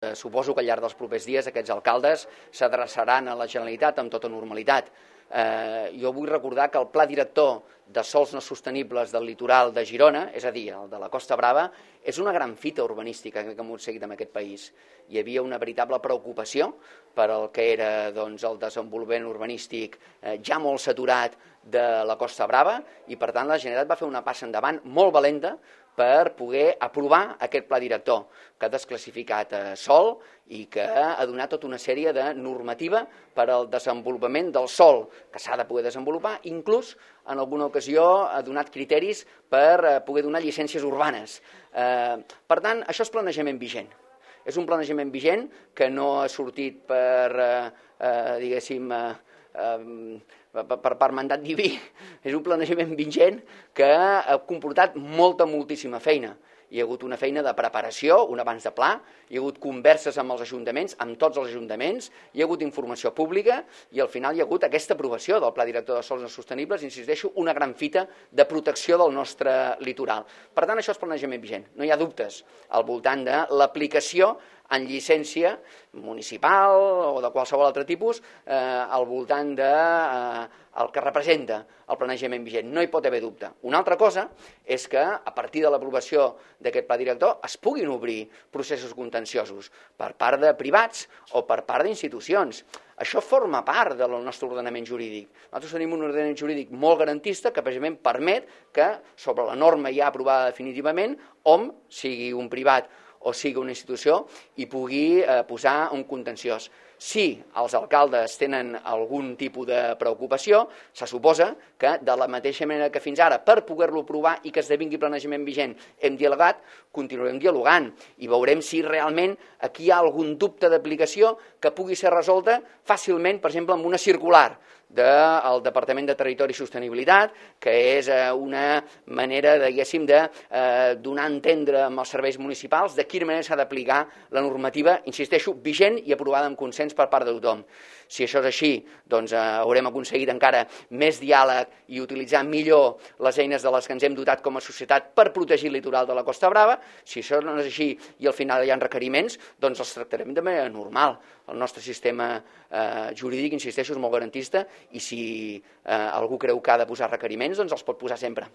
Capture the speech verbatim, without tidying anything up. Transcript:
Suposo que al llarg dels propers dies aquests alcaldes s'adreçaran a la Generalitat amb tota normalitat. Eh, jo vull recordar que el pla director de sòls no sostenibles del litoral de Girona, és a dir, el de la Costa Brava, és una gran fita urbanística que hem seguit en aquest país. Hi havia una veritable preocupació per al que era doncs, el desenvolupament urbanístic eh, ja molt saturat de la Costa Brava i, per tant, la Generalitat va fer una passa endavant molt valenta per poder aprovar aquest pla director que ha desclassificat eh, sòl i que ha donat tota una sèrie de normativa per al desenvolupament del sòl que s'ha de poder desenvolupar, inclús en alguna ocasió ha donat criteris per eh, poder donar llicències urbanes. Eh, per tant, això és planejament vigent. És un planejament vigent que no ha sortit per, eh, eh, diguéssim, eh, per, per, per mandat diví. És un planejament vigent que ha comportat molta, moltíssima feina. Hi ha hagut una feina de preparació, un abans de pla, hi ha hagut converses amb els ajuntaments, amb tots els ajuntaments, hi ha hagut informació pública i al final hi ha hagut aquesta aprovació del Pla Director de Sòls no sostenibles, insisteixo, una gran fita de protecció del nostre litoral. Per tant, això és planejament vigent. No hi ha dubtes al voltant de l'aplicació en llicència municipal o de qualsevol altre tipus eh, al voltant de eh, el que representa el planejament vigent. No hi pot haver dubte. Una altra cosa és que a partir de l'aprovació d'aquest pla director es puguin obrir processos contenciosos per part de privats o per part d'institucions. Això forma part del nostre ordenament jurídic. Nosaltres tenim un ordenament jurídic molt garantista que precisament permet que sobre la norma ja aprovada definitivament hom, sigui un privat o sigui una institució, hi pugui eh, posar un contenciós. Si els alcaldes tenen algun tipus de preocupació, se suposa que de la mateixa manera que fins ara, per poder-lo aprovar i que esdevingui planejament vigent, hem dialogat, continuarem dialogant i veurem si realment aquí hi ha algun dubte d'aplicació que pugui ser resolta fàcilment, per exemple, amb una circular del Departament de Territori i Sostenibilitat, que és una manera, diguéssim, de eh, donar a entendre amb els serveis municipals de quina manera s'ha d'aplicar la normativa, insisteixo, vigent i aprovada amb consens per part de tothom. Si això és així, doncs eh, haurem aconseguit encara més diàleg i utilitzar millor les eines de les que ens hem dotat com a societat per protegir el litoral de la Costa Brava. Si això no és així i al final hi ha requeriments, doncs els tractarem de manera normal. El nostre sistema eh, jurídic, insisteixo, és molt garantista i si eh, algú creu que ha de posar requeriments, doncs els pot posar sempre.